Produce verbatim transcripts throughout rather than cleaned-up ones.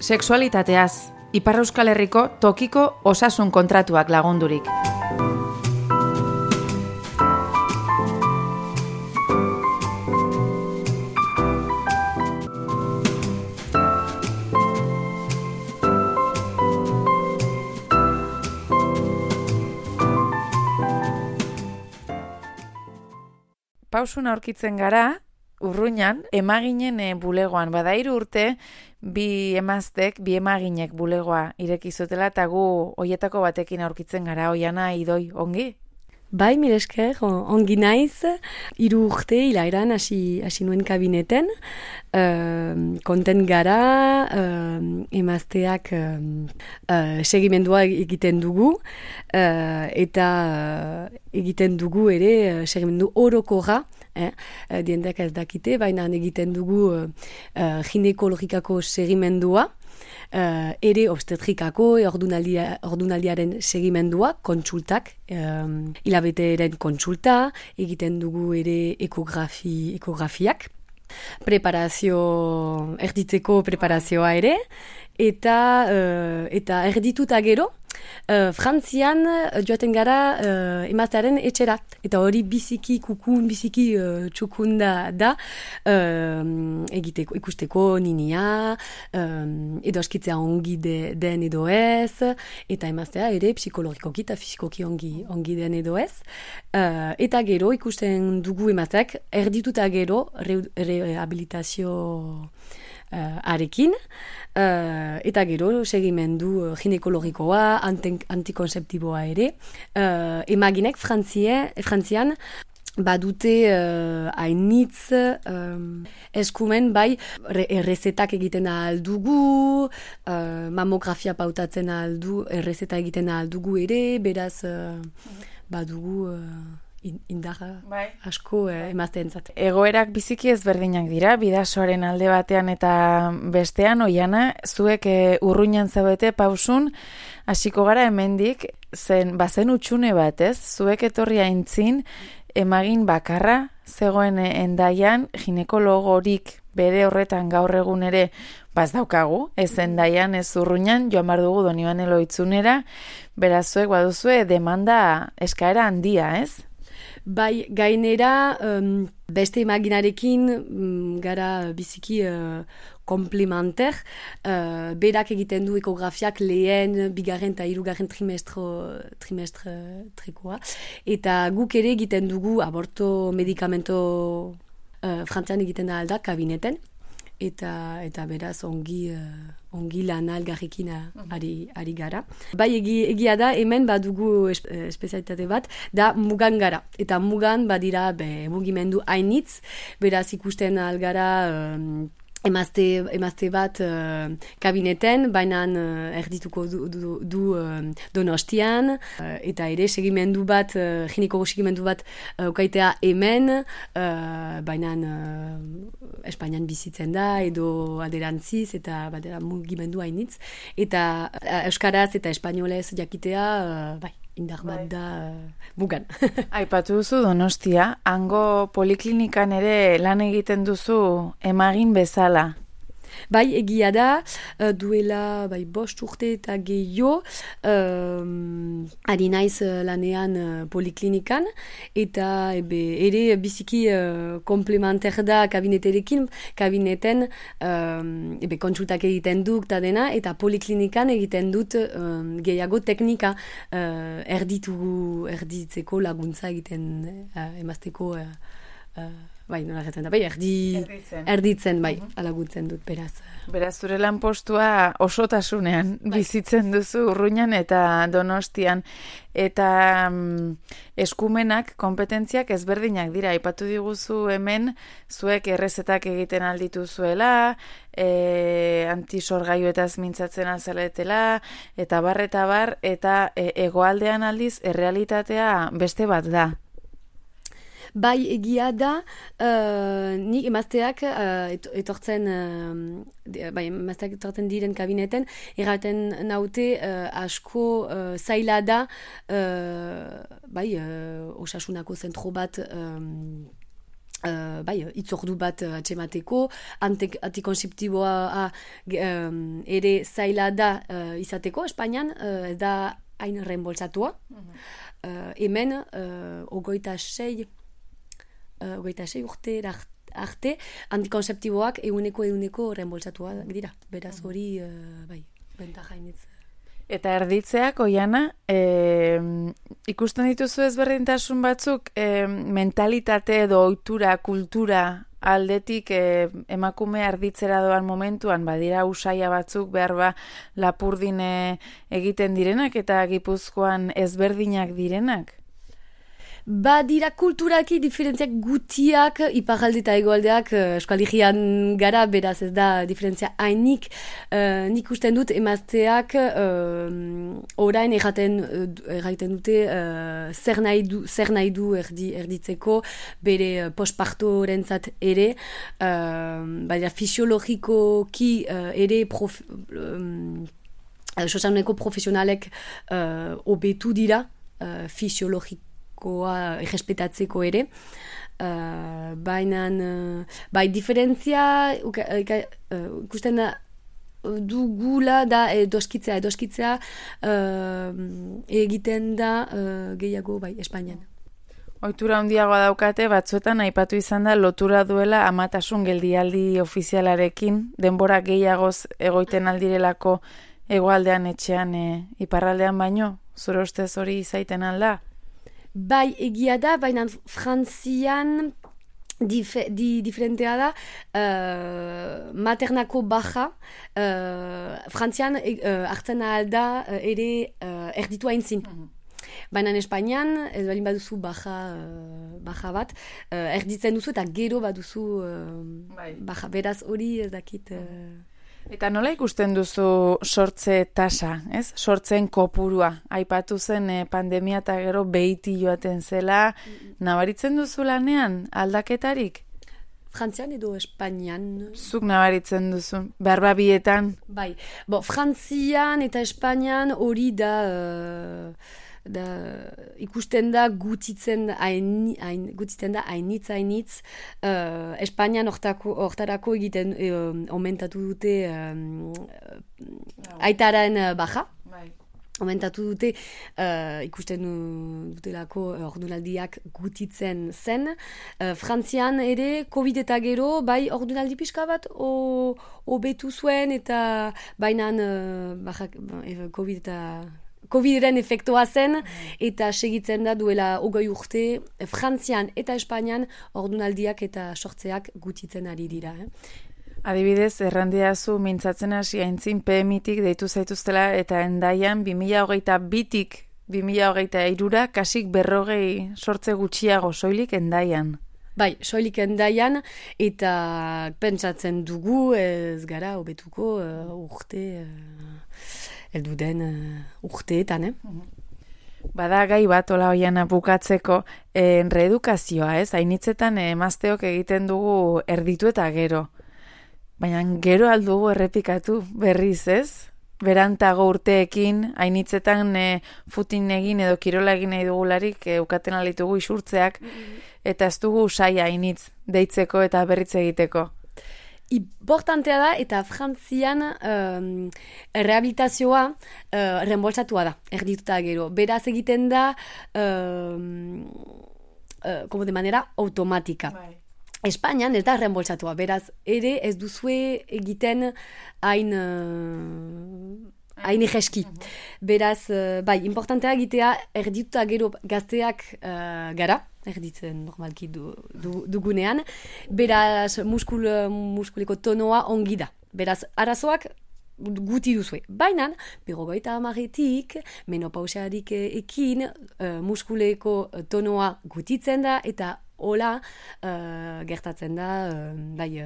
Sexualitateaz, Ipar Euskal Herriko tokiko osasun kontratuak lagundurik. Pausun aurkitzen gara, Urruñan, emaginen bulegoan, bada hiru urte, bi emaztek, bi emaginek bulegoa irekizutela, eta gu hoietako batekin aurkitzen gara, Oiana, Idoi, ongi? Bai, mire esker, ongi naiz, hiru urte hilairan hasi hasi nuen kabineten, uh, konten gara, uh, emazteak uh, uh, segimendua egiten dugu, uh, eta uh, egiten dugu ere uh, segimendu orokorra, eh? uh, diendak ez dakite, baina egiten dugu uh, uh, ginekologikako segimendua, Uh, ere obstetrikako ordunaldia, ordunaldiaren segimendua, kontsultak, um, hilabeteren kontsulta, egiten dugu ere ekografi, ekografiak, preparazio, erditzeko preparazioa ere, eta, uh, eta erdituta gero, uh, Frantzian joaten gara uh, emaztearen etxera. Eta hori biziki kukun, biziki uh, txukunda da, uh, egiteko, ikusteko ninia, um, edo askitzea ongi de, den edo ez, eta emaztea ere psikologikoki eta fizikoki ongi, ongi den edo ez. Uh, eta gero ikusten dugu emazteak erdituta gero re, rehabilitazio Uh, arekin, uh, eta gero segimendu uh, ginekologikoa, antikonzeptiboa ere. Uh, emaginek Frantzien, Frantzian badute uh, hainitz um, eskumen bai errezetak egiten ahal dugu, uh, mamografia pautatzen ahal du, errezeta egiten ahal dugu ere, beraz uh, badugu uh, indarra bai. Asko eh, emazteentzat. Egoerak biziki ezberdinak dira, bidasoaren alde batean eta bestean, Oiana, zuek e, Urruñan zaudete Pausun, hasiko gara hemendik, zen bazen utxune bat, ez? Zuek etorri aintzin, emagin bakarra, zegoen Hendaian, ginekologorik bere horretan gaur egun ere baz daukagu, ez Hendaian, ez Urruñan, joan bar dugu Donibane Lohitzunera, beraz zuek baduzue demanda eskaera handia, ez? Bai, gainera, um, beste imaginarekin um, gara biziki uh, komplementer, uh, berak egiten du ekografiak lehen, bigarren eta hirugarren trimestro, trimestre trekoa, eta guk ere egiten dugu aborto medikamento uh, Frantzian egiten da alda kabineten, eta eta beraz ongi uh, ongi lana algarrekin ari, ari gara. Bai, egi, egia da, hemen badugu espezialitate bat, da mugan gara. Eta mugan badira be, mugimendu hainitz, beraz ikusten algara um, emazte, emazte bat uh, kabineten, baina uh, erdituko du, du, du uh, Donostian, uh, eta ere segimendu bat, uh, ginekologo segimendu bat uh, ukaitea hemen, uh, baina uh, Espainian bizitzen da, edo alderantziz, eta badera mugimendu hainitz, eta uh, euskaraz eta espainolez jakitea, uh, bai, indar bat da uh, mugan. Aipatu duzu Donostia, hango poliklinikan ere lan egiten duzu emagin bezala. Bai, egia da, duela bai, bost urte eta gehiago, um, ari naiz lanean uh, poliklinikan, eta ebe, ere biziki uh, komplementer da kabineterekin, kabineten um, ebe, kontsultak egiten duk eta dena, eta poliklinikan egiten dut um, gehiago teknika uh, erditu, erditzeko laguntza egiten uh, emazteko uh, uh, bai, nola gertzen da, bai, erdi, erditzen. erditzen, bai, uh-huh. Alaguntzen dut, beraz. Beraz, zure lanpostua osotasunean bai. Bizitzen duzu Urruñan eta Donostian, eta mm, eskumenak, kompetentziak ezberdinak dira, aipatu diguzu hemen, zuek errezetak egiten alditu zuela, e, antisorgailuetaz mintzatzen alzaletela, eta bar, eta bar, eta e, hegoaldean aldiz, errealitatea beste bat da. Bai, egia da, uh, nik emazteak uh, etortzen, uh, bai, emazteak etortzen diren kabineten, erraten naute uh, asko uh, zaila da, uh, bai, uh, osasunako zentro bat um, Uh, bai, itzordu bat uh, atxemateko, antikonseptiboa um, ere zaila da uh, izateko, Espainian, uh, ez da hain reembolsatua. Mm-hmm. uh, hemen, uh, ogoita sei, uh, ogoita sei urte arte, antikonseptiboak eguneko eguneko reembolsatua dira. Beraz hori, uh, bai, bentaja hainitz. Eta erditzeak, Oiana, e, ikusten dituzu ezberdintasun batzuk e, mentalitate edo ohitura, kultura aldetik e, emakume erditzera doan momentuan, badira usaia batzuk behar ba Lapurdine egiten direnak eta Gipuzkoan ezberdinak direnak? Badira kulturaki diferentziak gutiak, iparralde eta egoaldeak eskualigian gara, beraz ez da diferentzia hainik. Uh, nik usten dut emazteak uh, orain erraten, erraten dute uh, zer, nahi du, zer nahi du erdi, erditzeko, bere uh, postpartorentzat ere, uh, badira fisiologikoki uh, ere prof, um, sosaneko profesionalek uh, obetu dira, uh, fisiologiko errespetatzeko ere. Uh, baina, uh, bai, diferentzia ikusten da dugula da edoskitzea, edoskitzea uh, egiten da uh, gehiago, bai, Espainian. Ohitura handiagoa daukate, batzuetan aipatu izan da lotura duela amatasun geldialdi ofizialarekin, denbora gehiagoz egoiten aldirelako hegoaldean etxean e, iparraldean baino, zure ustez hori izaiten alda? Bai, egia da, baina Frantzian dif di, diferentea da, uh, maternako baja, uh, Frantzian uh, hartzen alda uh, ere uh, erditu haintzin. Mm-hmm. Baina Espainian, ez balin baduzu baja, uh, baja bat, uh, erditzen duzu eta gero baduzu uh, bai. Baja. Beraz hori ez dakit... Uh, Eta nola ikusten duzu sortze tasa, ez? Sortzen kopurua. Aipatu zen eh, pandemia eta gero behiti joaten zela. Mm-hmm. Nabaritzen duzu lanean aldaketarik? Frantzian edo Espainian? Zuk nabaritzen duzu, berba bietan? Bai, bo, Frantzian eta Espainian hori da... Uh... Da, ikusten da gutitzen hain, hain, gutitzen da hainitz hainitz uh, Espainian hortarako egiten uh, omentatu dute um, uh, aitaren uh, baja bai. Omentatu dute uh, ikusten dutelako ordunaldiak gutitzen zen. Uh, Frantzian ere Covid eta gero bai ordunaldi pixka bat hobetu zuen eta bainan uh, baja, Covid eta Covidren efektua zen, eta segitzen da duela hogei urte, Frantzian eta Espainian ordunaldiak eta sortzeak gutitzen ari dira. Eh? Adibidez, errandiazu mintzatzen hasi aintzin P M I-tik deitu zaituztela eta Hendaian bi mila hogeita bitik bi mila hogeita hirura kasik berrogei sortze gutxiago soilik Hendaian. Bai, soilik Hendaian eta pentsatzen dugu ez gara hobetuko uh, urte... Uh, eldu den uh, urteetan, eh? Bada gai bat, ola Oiana bukatzeko, eh, reedukazioa, ez? Hainitzetan emazteok egiten dugu erditu eta gero. Baina gero aldugu errepikatu berriz, ez? Berantago urteekin, hainitzetan eh, futin egin edo kirola egin nahi dugularik eh, ukaten alitugu isurtzeak, eta ez dugu saia hainitz deitzeko eta berritz egiteko. Importantea da, eta Frantzian um, rehabilitazioa uh, reembolsatua da, erdituta gero. Beraz egiten da, um, uh, como de manera automática. Bai. Espainian ez da reembolsatua, beraz ere ez duzue egiten hain... Uh, hain egeski. Beraz, uh, bai, importantea egitea erdituta gero gazteak uh, gara, erditzen normalki du, du, dugunean, beraz muskul, muskuleko tonoa ongi da. Beraz, arazoak guti duzue. Baina, berrogeita hamaretik, menopausiarik ekin, uh, muskuleko tonoa gutitzen da, eta hola uh, gertatzen da, uh, bai,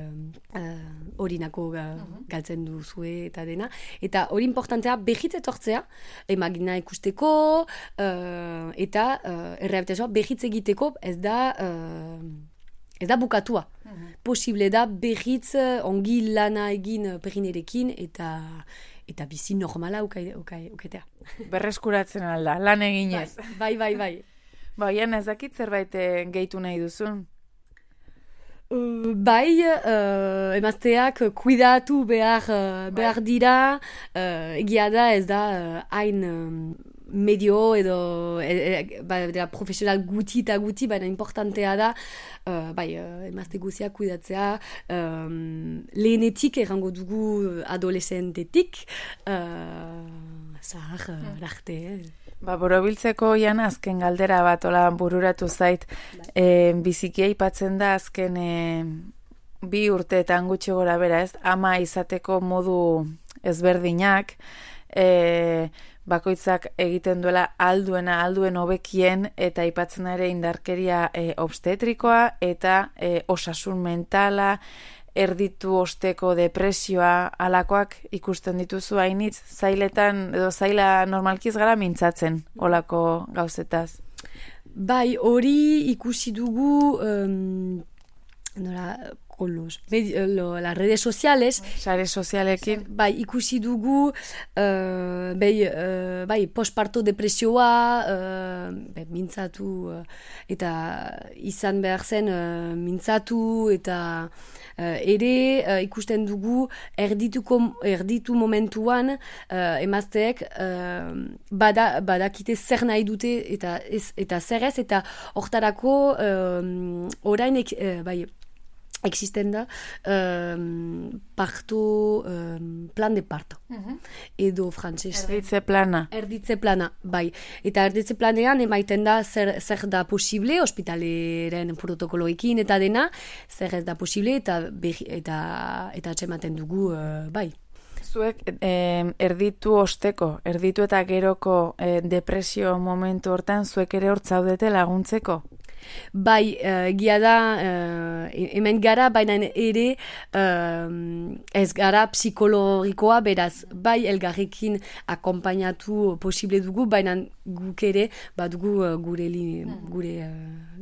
horinako uh, uh, galtzen duzue eta dena. Eta hori importantea behitz etortzea, emagina ikusteko, uh, eta uh, errehabilitazioa behitz egiteko ez da... Uh, Ez da bukatua. Mm-hmm. Posible da behitz ongi lana egin perinerekin eta eta bizi normala uketea. Berreskuratzen alda, lan eginez. Bai, bai, bai. Ba, Oiana, ez dakit zerbait gehitu nahi duzun? Uh, bai, uh, emazteak kuidatu behar, uh, behar dira, uh, egia da ez da hain uh, medio edo e, e, ba, da, profesional guti eta guti, baina importantea da, uh, bai, uh, emazte guziak kuidatzea, um, lehenetik errango dugu adolescentetik, uh, zahar, uh, larte, eh? Ba, borobiltzeko Ian azken galdera bat ola bururatu zait. E, biziki aipatzen da azken e, bi urteetan gutxi gora bera, ez? Ama izateko modu ezberdinak, e, bakoitzak egiten duela alduena, alduen hobekien, eta aipatzen ere indarkeria e, obstetrikoa eta e, osasun mentala, erditu osteko depresioa, alakoak ikusten dituzu hainitz, zailetan, edo zaila normalkiz gara mintzatzen, olako gauzetaz. Bai, hori ikusi dugu, um, nora, con los, lo, las redes sociales. Sare sozialekin. Bai, ikusi dugu, uh, bai, uh, bai, postparto depresioa, uh, bai, mintzatu, uh, eta izan behar zen uh, mintzatu, eta Uh, ere uh, ikusten dugu erdituko, erditu momentuan uh, emazteek uh, bada, badakite zer nahi dute eta, ez, eta zer ez, eta hortarako uh, orain ek, uh, bai, existen da um, parto, um, plan de parto. Uh-huh. Edo frantzes. Erditze plana. Erditze plana, bai. Eta erditze planean emaiten da zer, zer da posible, ospitaleren protokoloekin eta dena, zer ez da posible eta behi, eta, eta atxematen dugu, uh, bai. Zuek eh, erditu osteko, erditu eta geroko eh, depresio momentu hortan, zuek ere hortzaudete laguntzeko? Bai, uh, gia da, uh, hemen gara, baina ere uh, ez gara psikologikoa, beraz, bai elgarrekin akompainatu posible dugu, baina guk ere badugu uh, gure, li, gure uh,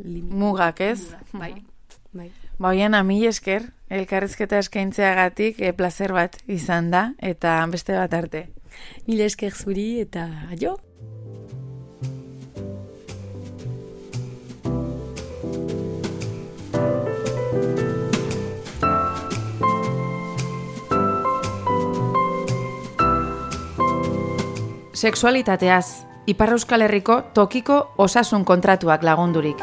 limit. Mugak, ez? Bai, bai. Baian, mil esker, elkarrizketa eskaintzeagatik e, placer bat izan da, eta beste bat arte. Mil esker zuri, eta adio! Sexualitateaz, Ipar Euskal Herriko tokiko osasun kontratuak lagundurik.